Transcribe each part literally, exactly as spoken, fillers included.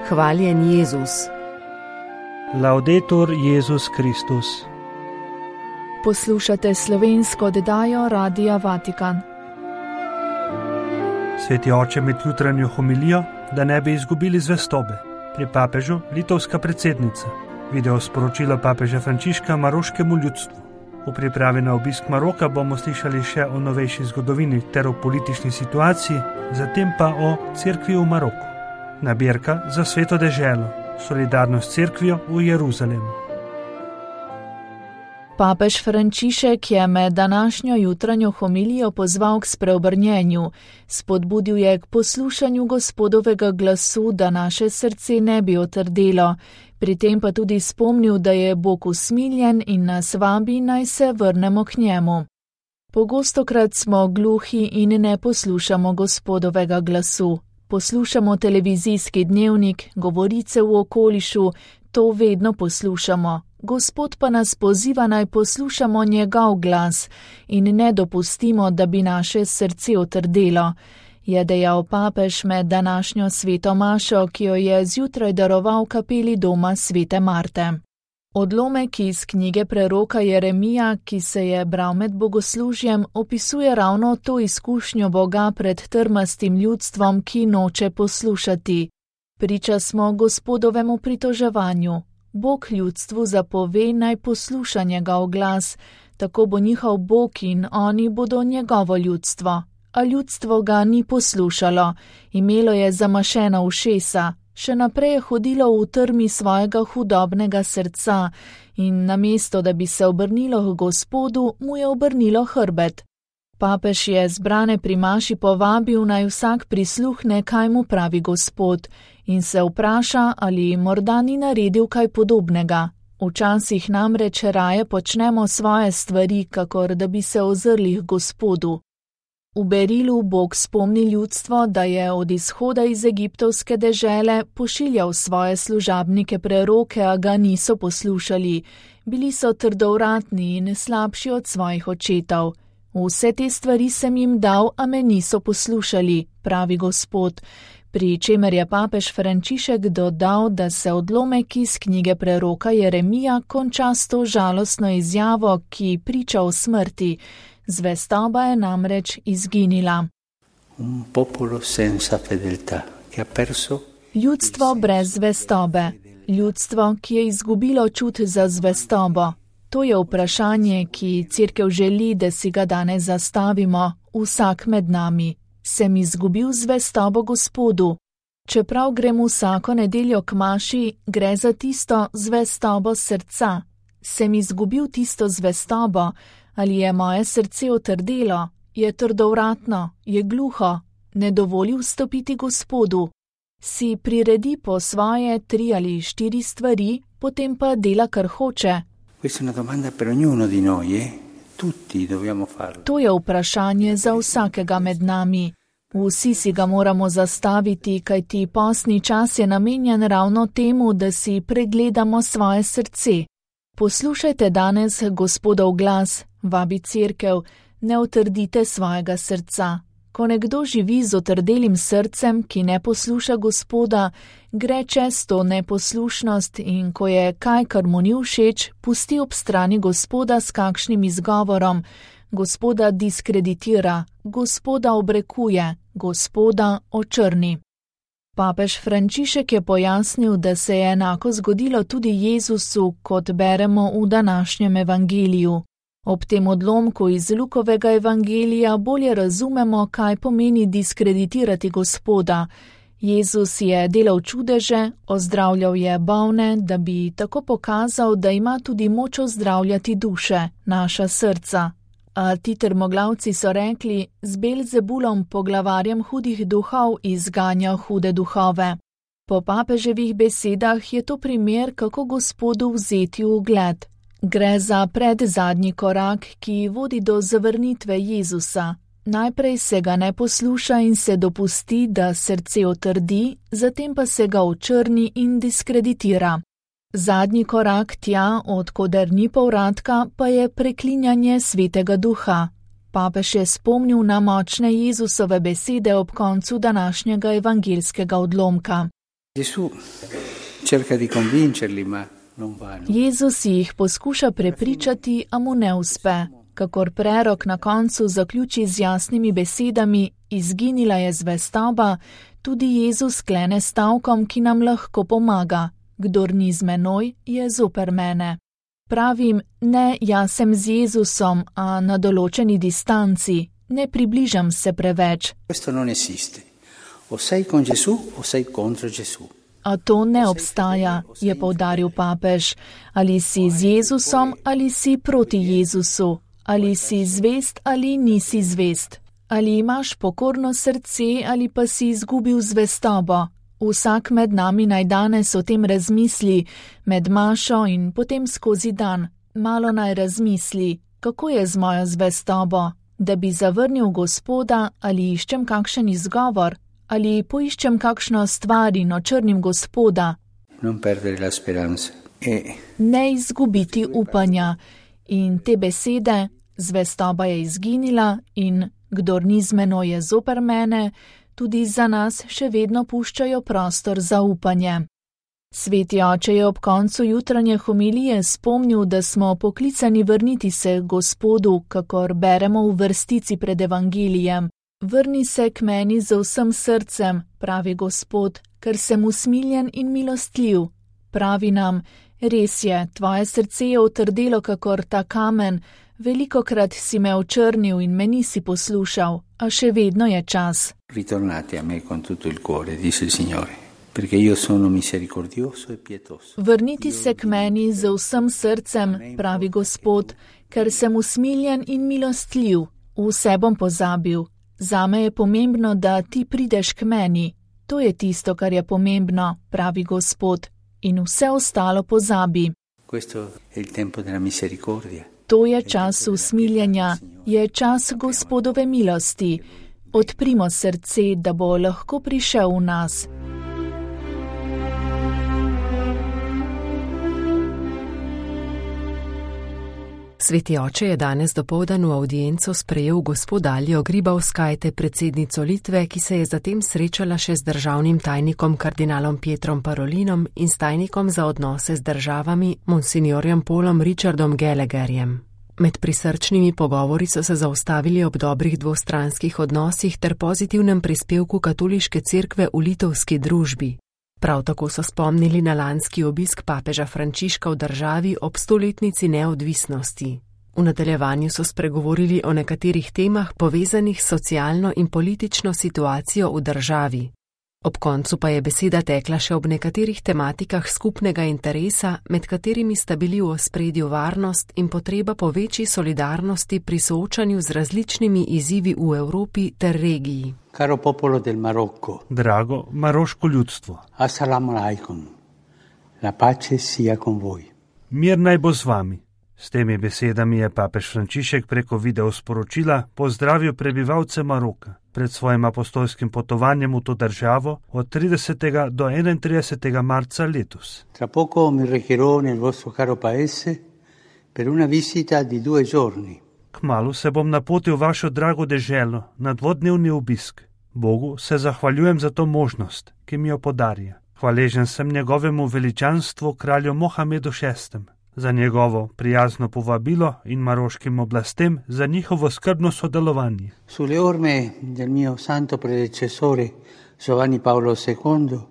Hvaljen Jezus. Laudetur Jezus Kristus. Poslušate slovensko oddajo Radia Vatikan. Sveti oče med jutranjo homilijo, da ne bi izgubili zvestobe. Pri papežu litovska predsednica. Video sporočilo papeža Frančiška maroškemu ljudstvu. V pripravi na obisk Maroka bomo slišali še o novejši zgodovini ter o politični situaciji, zatem pa o cerkvi v Maroku. Nabirka za sveto deželo, solidarnost s cerkvijo v Jeruzalemu. Papež Frančišek je med današnjo jutranjo homilijo pozval k spreobrnjenju, spodbudil je k poslušanju Gospodovega glasu, da naše srce ne bi otrdelo, pri tem pa tudi spomnil, da je Bog usmiljen in nas vabi, naj se vrnemo k njemu. Pogostokrat smo gluhi in ne poslušamo Gospodovega glasu. Poslušamo televizijski dnevnik, govorice v okolišu, to vedno poslušamo. Gospod pa nas poziva, naj poslušamo njegov glas in ne dopustimo, da bi naše srce otrdelo, je dejal papež med današnjo sveto mašo, ki jo je zjutraj daroval kapeli doma svete Marte. Odlomek iz knjige preroka Jeremija, ki se je bral med bogoslužjem, opisuje ravno to izkušnjo Boga pred trmastim ljudstvom, ki noče poslušati. Priča smo Gospodovemu pritoževanju. Bog ljudstvu zapove, naj posluša njegov glas, tako bo njihov Bog in oni bodo njegovo ljudstvo. A ljudstvo ga ni poslušalo, imelo je zamašena ušesa, še naprej je hodilo v trmi svojega hudobnega srca in namesto, da bi se obrnilo k Gospodu, mu je obrnilo hrbet. Papež je zbrane pri maši povabil, naj vsak prisluhne, kaj mu pravi Gospod, in se vpraša, ali morda ni naredil kaj podobnega. Včasih namreč raje počnemo svoje stvari, kakor da bi se ozrli k Gospodu. V Berilu Bog spomni ljudstvo, da je od izhoda iz egiptovske dežele pošiljal svoje služabnike preroke, a ga niso poslušali. Bili so trdovratni in slabši od svojih očetov. Vse te stvari sem jim dal, a me niso poslušali, pravi Gospod, pri čemer je papež Frančišek dodal, da se odlomek iz knjige preroka Jeremija konča s to žalostno izjavo, ki priča o smrti. Zvestoba je namreč izginila. Ljudstvo brez zvestobe. Ljudstvo, ki je izgubilo čut za zvestobo. To je vprašanje, ki cerkev želi, da si ga danes zastavimo, vsak med nami. Sem izgubil zvestobo Gospodu. Čeprav grem vsako nedeljo k maši, gre za tisto zvestobo srca. Sem izgubil tisto zvestobo, ali je moje srce otrdelo, je trdovratno, je gluho, ne dovoli vstopiti Gospodu. Si priredi po svoje tri ali štiri stvari, potem pa dela, kar hoče. To je vprašanje za vsakega med nami. Vsi si ga moramo zastaviti, kajti postni čas je namenjen ravno temu, da si pregledamo svoje srce. Poslušajte danes Gospodov glas, vabi cerkev, ne utrdite svojega srca. Ko nekdo živi z otrdelim srcem, ki ne posluša Gospoda, gre čez to neposlušnost in ko je kaj, kar mu ni všeč, pusti ob strani Gospoda s kakšnim izgovorom, Gospoda diskreditira, Gospoda obrekuje, Gospoda očrni. Papež Frančišek je pojasnil, da se je enako zgodilo tudi Jezusu, kot beremo v današnjem evangeliju. Ob tem odlomku iz Lukovega evangelija bolje razumemo, kaj pomeni diskreditirati Gospoda. Jezus je delal čudeže, ozdravljal je bolne, da bi tako pokazal, da ima tudi moč ozdravljati duše, naša srca. A ti trmoglavci so rekli, z Belzebulom, poglavarjem hudih duhov, izganja hude duhove. Po papeževih besedah je to primer, kako Gospodu vzeti v ugled. Gre za predzadnji korak, ki vodi do zavrnitve Jezusa. Najprej se ga ne posluša in se dopusti, da srce otrdi, zatem pa se ga očrni in diskreditira. Zadnji korak tja, od koder ni povratka, pa je preklinjanje Svetega Duha. Papež je spomnil na močne Jezusove besede ob koncu današnjega evangeljskega odlomka. Jezus jih poskuša prepričati, a mu ne uspe. Kakor prerok na koncu zaključi z jasnimi besedami: izginila je zvestoba, tudi Jezus sklene stavkom, ki nam lahko pomaga: kdor ni z menoj, je zoper mene. Pravim, ne, jaz sem z Jezusom, a na določeni distanci, ne približam se preveč. A to ne obstaja, je poudaril papež. Ali si z Jezusom ali si proti Jezusu, ali si zvest ali nisi zvest, ali imaš pokorno srce ali pa si izgubil zvestobo. Vsak med nami naj danes o tem razmisli, med mašo in potem skozi dan. Malo naj razmisli, kako je z mojo zvestobo, da bi zavrnil Gospoda, ali iščem kakšen izgovor, ali poiščem kakšno stvar in očrnim Gospoda. Ne izgubiti upanja. In te besede: zvestoba je izginila in kdor ni z menoj, je zoper mene, tudi za nas še vedno puščajo prostor za upanje. Sveti oče je ob koncu jutranje homilije spomnil, da smo poklicani vrniti se Gospodu, kakor beremo v vrstici pred evangelijem. Vrni se k meni z vsem srcem, pravi Gospod, ker sem usmiljen in milostljiv. Pravi nam: res je, tvoje srce je otrdelo kakor ta kamen, velikokrat si me očrnil in me nisi poslušal, a še vedno je čas. Ritornate a me con tutto il cuore, dice il Signore, perché io sono misericordioso e pietoso. Vrniti se k meni z vsem srcem, pravi Gospod, ker sem usmiljen in milostljiv. Vse bom pozabil. Zame je pomembno, da ti prideš k meni. To je tisto, kar je pomembno, pravi Gospod, in vse ostalo pozabi. Questo è il tempo della misericordia. To je čas usmiljenja, je čas Gospodove milosti. Odprimo srce, da bo lahko prišel v nas. Sveti oče je danes dopoldan v avdienco sprejel gospod Aljo Gribauskajte, predsednico Litve, ki se je zatem srečala še z državnim tajnikom kardinalom Pietrom Parolinom in s tajnikom za odnose z državami monsignorjem Paulom Richardom Gallagherjem. Med prisrčnimi pogovori so se zaustavili ob dobrih dvostranskih odnosih ter pozitivnem prispevku katoliške cerkve v litovski družbi. Prav tako so spomnili na lanski obisk papeža Frančiška v državi ob stoletnici neodvisnosti. V nadaljevanju so spregovorili o nekaterih temah povezanih s socialno in politično situacijo v državi. Ob koncu pa je beseda tekla še ob nekaterih tematikah skupnega interesa, med katerimi sta bili v ospredju varnost in potreba po večji solidarnosti pri soočanju z različnimi izzivi v Evropi ter regiji. Caro popolo del Marocco. Drago maroško ljudstvo. Assalamu alaikum. La pace sia con voi. Mir naj bo z vami. S temi besedami je papež Frančišek preko video sporočila pozdravil prebivalce Maroka pred svojim apostolskim potovanjem v to državo od tridesetega do enaintridesetega marca letos. Tra poco mi recherò nel vostro caro paese per una visita di due giorni. Kmalu se bom napotil v vašo drago deželo na dvodnevni obisk. Bogu se zahvaljujem za to možnost, ki mi jo podarja. Hvaležen sem njegovemu veličanstvu kralju Mohamedu šestem za njegovo prijazno povabilo in maroškim oblastem za njihovo skrbno sodelovanje. Sulle orme del mio santo predecessore Giovanni Paolo secondo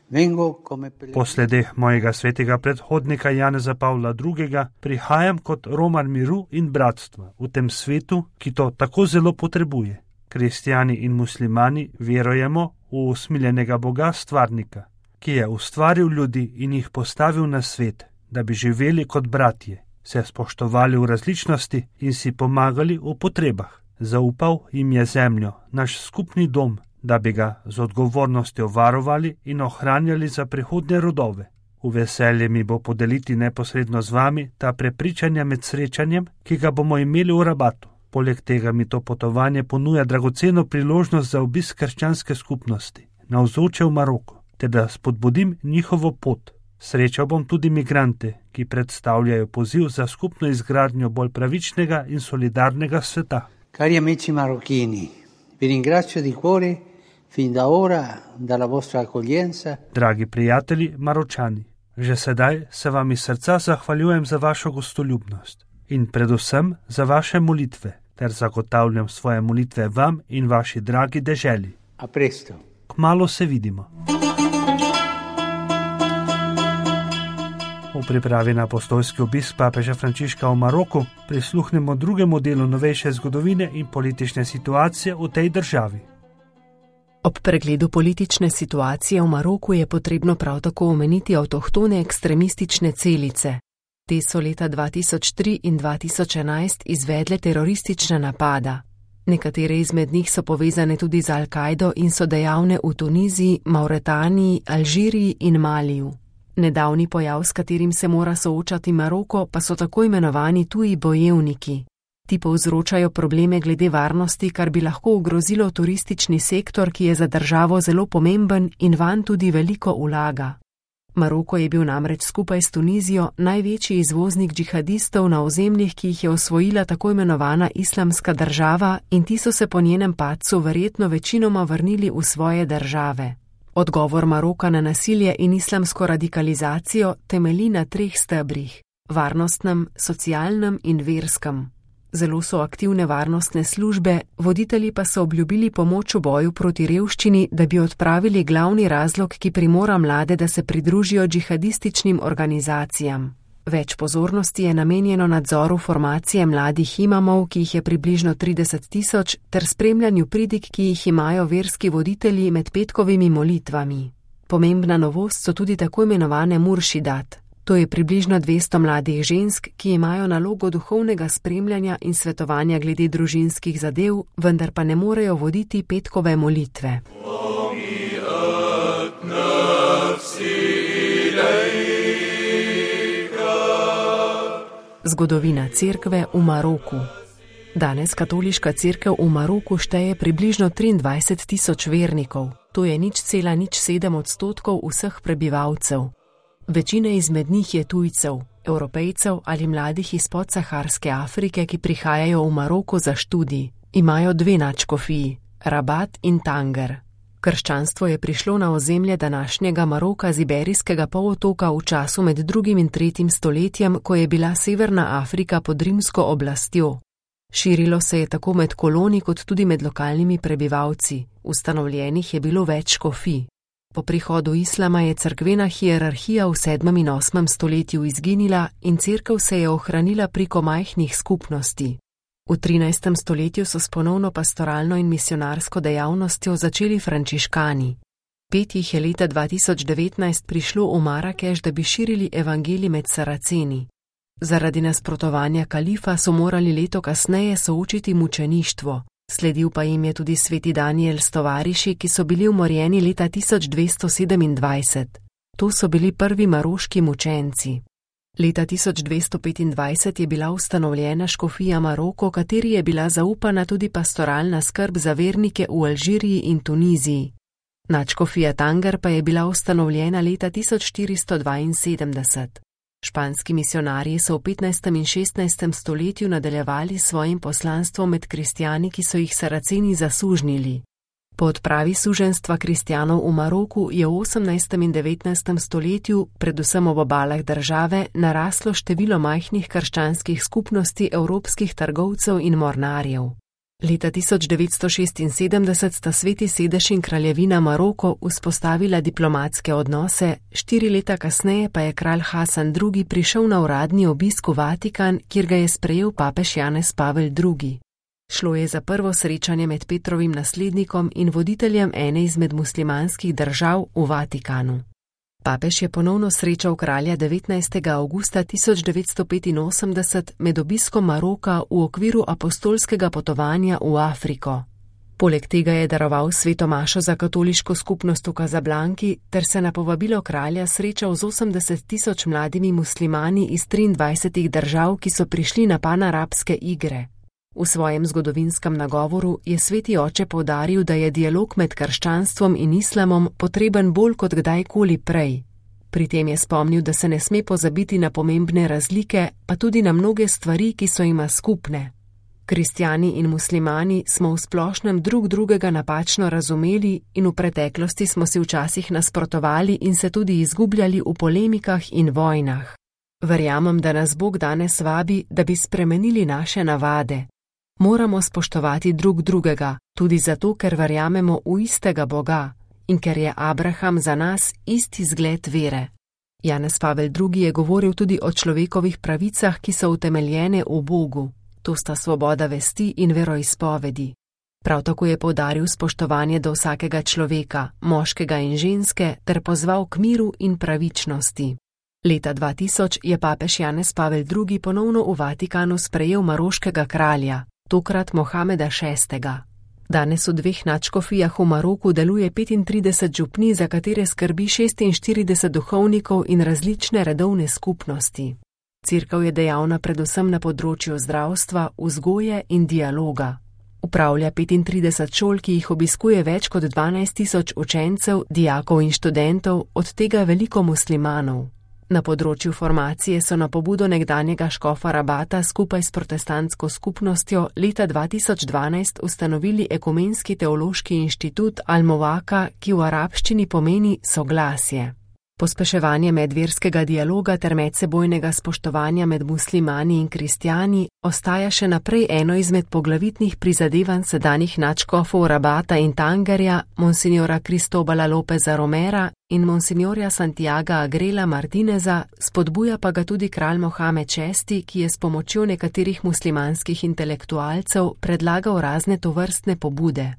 vengo come Po sledeh mojega svetega predhodnika Janeza Pavla drugega prihajam kot romar miru in bratstva v tem svetu, ki to tako zelo potrebuje. Kristjani in muslimani verujemo v usmiljenega Boga stvarnika, ki je ustvaril ljudi in jih postavil na svet, da bi živeli kot bratje, se spoštovali v različnosti in si pomagali v potrebah. Zaupal jim je zemljo, naš skupni dom, da bi ga z odgovornostjo varovali in ohranjali za prihodnje rodove. V veselje mi bo podeliti neposredno z vami ta prepričanja med srečanjem, ki ga bomo imeli v Rabatu. Poleg tega mi to potovanje ponuja dragoceno priložnost za obisk krščanske skupnosti, navzoče v Maroku, ter da spodbudim njihovo pot. Srečal bom tudi migrante, ki predstavljajo poziv za skupno izgradnjo bolj pravičnega in solidarnega sveta. Cari amici marocchini, vi ringrazio di cuore Fin da ora, dalla vostra accoglienza. Dragi prijatelji Maročani, že sedaj se vam iz srca zahvaljujem za vašo gostoljubnost in predvsem za vaše molitve, ter zagotavljam svoje molitve vam in vaši dragi deželi. A presto. Kmalu se vidimo. V pripravi na apostolski obisk papeža Frančiška v Maroku prisluhnemo drugemu delu novejše zgodovine in politične situacije v tej državi. Ob pregledu politične situacije v Maroku je potrebno prav tako omeniti avtohtone ekstremistične celice. Te so leta dva tisoč tri in dva tisoč enajst izvedle teroristična napada. Nekatere izmed njih so povezane tudi z Al-Kaido in so dejavne v Tuniziji, Mauretaniji, Alžiriji in Maliju. Nedavni pojav, s katerim se mora soočati Maroko, pa so tako imenovani tuji bojevniki. Ti povzročajo probleme glede varnosti, kar bi lahko ogrozilo turistični sektor, ki je za državo zelo pomemben in vanj tudi veliko vlaga. Maroko je bil namreč skupaj s Tunizijo največji izvoznik džihadistov na ozemljih, ki jih je osvojila tako imenovana islamska država, in ti so se po njenem padcu verjetno večinoma vrnili v svoje države. Odgovor Maroka na nasilje in islamsko radikalizacijo temelji na treh stebrih: varnostnem, socialnem in verskem. Zelo so aktivne varnostne službe, voditelji pa so obljubili pomoč v boju proti revščini, da bi odpravili glavni razlog, ki primora mlade, da se pridružijo džihadističnim organizacijam. Več pozornosti je namenjeno nadzoru formacije mladih imamov, ki jih je približno trideset tisoč, ter spremljanju pridig, ki jih imajo verski voditelji med petkovimi molitvami. Pomembna novost so tudi tako imenovane muršidat. To je približno dvesto mladih žensk, ki imajo nalogo duhovnega spremljanja in svetovanja glede družinskih zadev, vendar pa ne morejo voditi petkove molitve. Zgodovina cerkve v Maroku. Danes katoliška cerkev v Maroku šteje približno triindvajset tisoč vernikov. To je nič cela nič sedem odstotkov vseh prebivalcev. Večina izmed njih je tujcev, Evropejcev ali mladih iz podsaharske Afrike, ki prihajajo v Maroko za študij. Imajo dve nadškofiji, Rabat in Tanger. Krščanstvo je prišlo na ozemlje današnjega Maroka z Iberijskega polotoka v času med drugim in tretjim stoletjem, ko je bila Severna Afrika pod rimsko oblastjo. Širilo se je tako med koloni kot tudi med lokalnimi prebivalci. Ustanovljenih je bilo več škofij. Po prihodu islama je cerkvena hierarhija v sedmem in osmem stoletju izginila in cerkev se je ohranila preko majhnih skupnosti. V trinajstem stoletju so s ponovno pastoralno in misionarsko dejavnostjo začeli frančiškani. Pet jih je leta dva tisoč devetnajst prišlo v Marakeš, da bi širili evangelij med Saraceni. Zaradi nasprotovanja kalifa so morali leto kasneje soočiti mučeništvo. Sledil pa jim je tudi sveti Daniel s tovariši, ki so bili umorjeni leta tisoč dvesto sedemindvajset. To so bili prvi maroški mučenci. Leta tisoč dvesto petindvajset je bila ustanovljena škofija Maroko, kateri je bila zaupana tudi pastoralna skrb za vernike v Alžiriji in Tuniziji. Nadškofija Tanger pa je bila ustanovljena leta tisoč štiristo dvainsedemdeset. Španski misionarji so v petnajstem in šestnajstem stoletju nadaljevali svojim poslanstvom med kristjani, ki so jih Saraceni zasužnili. Po odpravi suženstva kristjanov v Maroku je v osemnajstem in devetnajstem stoletju, predvsem ob obalah države, naraslo število majhnih krščanskih skupnosti evropskih trgovcev in mornarjev. Leta tisoč devetsto šestinsedemdeset sta Sveti sedež in kraljevina Maroko vzpostavila diplomatske odnose, štiri leta kasneje pa je kralj Hasan drugi prišel na uradni obisk v Vatikan, kjer ga je sprejel papež Janez Pavel drugi. Šlo je za prvo srečanje med Petrovim naslednikom in voditeljem ene izmed muslimanskih držav v Vatikanu. Papež je ponovno srečal kralja devetnajstega avgusta tisoč devetsto petinosemdeset med obiskom Maroka v okviru apostolskega potovanja v Afriko. Poleg tega je daroval sveto mašo za katoliško skupnost v Kazablanki ter se na povabilo kralja srečal z osemdeset tisoč mladimi muslimani iz triindvajsetih držav, ki so prišli na panarabske igre. V svojem zgodovinskem nagovoru je sveti oče poudaril, da je dialog med krščanstvom in islamom potreben bolj kot kdajkoli prej. Pri tem je spomnil, da se ne sme pozabiti na pomembne razlike, pa tudi na mnoge stvari, ki so jima skupne. Kristjani in muslimani smo v splošnem drug drugega napačno razumeli in v preteklosti smo si včasih nasprotovali in se tudi izgubljali v polemikah in vojnah. Verjamem, da nas Bog danes vabi, da bi spremenili naše navade. Moramo spoštovati drug drugega, tudi zato, ker verjamemo v istega Boga in ker je Abraham za nas isti zgled vere. Janez Pavel drugi. Je govoril tudi o človekovih pravicah, ki so utemeljene v Bogu. To sta svoboda vesti in veroizpovedi. Prav tako je poudaril spoštovanje do vsakega človeka, moškega in ženske, ter pozval k miru in pravičnosti. Leta dva tisoč je papež Janez Pavel drugi. Ponovno v Vatikanu sprejel maroškega kralja, tokrat Mohameda šestega. Danes v dveh nadškofijah v Maroku deluje petintrideset župnij, za katere skrbi šestinštirideset duhovnikov in različne redovne skupnosti. Cerkev je dejavna predvsem na področju zdravstva, vzgoje in dialoga. Upravlja petintrideset šol, ki jih obiskuje več kot dvanajst tisoč učencev, dijakov in študentov, od tega veliko muslimanov. Na področju formacije so na pobudo nekdanjega škofa Rabata skupaj s protestantsko skupnostjo leta dva tisoč dvanajst ustanovili ekumenski teološki inštitut Al-Mowaka, ki v arabščini pomeni soglasje. Pospeševanje medverskega dialoga ter medsebojnega spoštovanja med muslimani in kristjani ostaja še naprej eno izmed poglavitnih prizadevanj sedanjih nadškofov Rabata in Tangerja, monsinjora Cristobala Lopeza Romera in monsinjorja Santiaga Agrela Martineza, spodbuja pa ga tudi kralj Mohamed šesti, ki je s pomočjo nekaterih muslimanskih intelektualcev predlagal razne tovrstne pobude.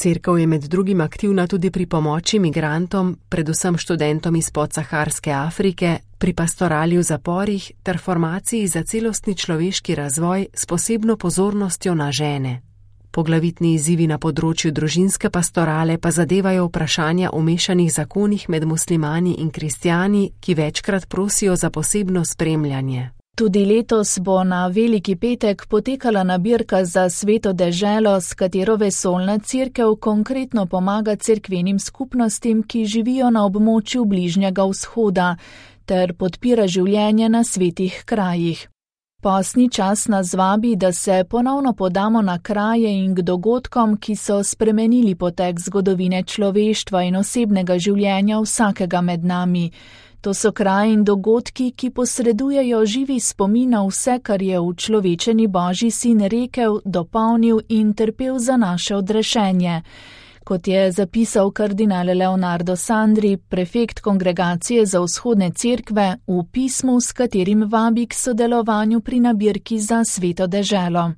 Cerkev je med drugim aktivna tudi pri pomoči migrantom, predvsem študentom iz podsaharske Afrike, pri pastorali v zaporih ter formaciji za celostni človeški razvoj s posebno pozornostjo na žene. Poglavitni izzivi na področju družinske pastorale pa zadevajo vprašanja o mešanih zakonih med muslimani in kristjani, ki večkrat prosijo za posebno spremljanje. Tudi letos bo na Veliki petek potekala nabirka za Sveto deželo, s katero vesoljna cerkev konkretno pomaga cerkvenim skupnostim, ki živijo na območju Bližnjega vzhoda, ter podpira življenje na svetih krajih. Postni čas nas vabi, da se ponovno podamo na kraje in k dogodkom, ki so spremenili potek zgodovine človeštva in osebnega življenja vsakega med nami. To so kraji in dogodki, ki posredujejo živi spomin na vse, kar je v človečeni Božji sin rekel, dopolnil in trpel za naše odrešenje. Kot je zapisal kardinal Leonardo Sandri, prefekt Kongregacije za vzhodne cerkve, v pismu, s katerim vabi k sodelovanju pri nabirki za Sveto deželo.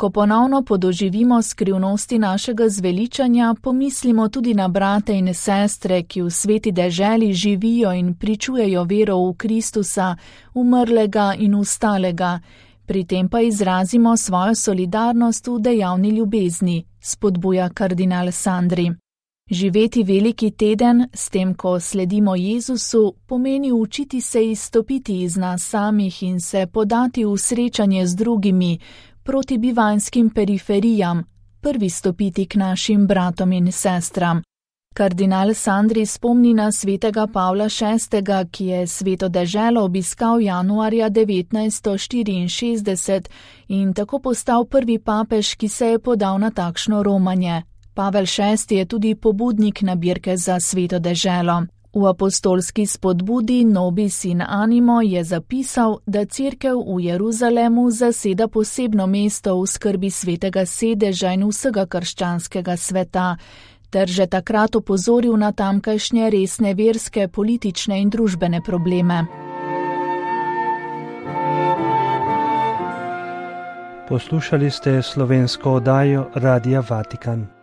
Ko ponovno podoživimo skrivnosti našega zveličanja, pomislimo tudi na brate in sestre, ki v sveti deželi živijo in pričujejo vero v Kristusa, umrlega in vstalega. Pri tem pa izrazimo svojo solidarnost v dejavni ljubezni, spodbuja kardinal Sandri. Živeti veliki teden, s tem, ko sledimo Jezusu, pomeni učiti se izstopiti iz nas samih in se podati v srečanje z drugimi, proti bivanjskim periferijam, prvi stopiti k našim bratom in sestram. Kardinal Sandri spomni na svetega Pavla šestega, ki je Sveto deželo obiskal januarja devetnajststo štiriinšestdeset in tako postal prvi papež, ki se je podal na takšno romanje. Pavel šesti je tudi pobudnik nabirke za Sveto deželo. V apostolski spodbudi Nobis in Animo je zapisal, da cerkev v Jeruzalemu zaseda posebno mesto v skrbi svetega sedeža in vsega krščanskega sveta, ter že takrat opozoril na tamkajšnje resne verske, politične in družbene probleme. Poslušali ste slovensko oddajo Radia Vatikan.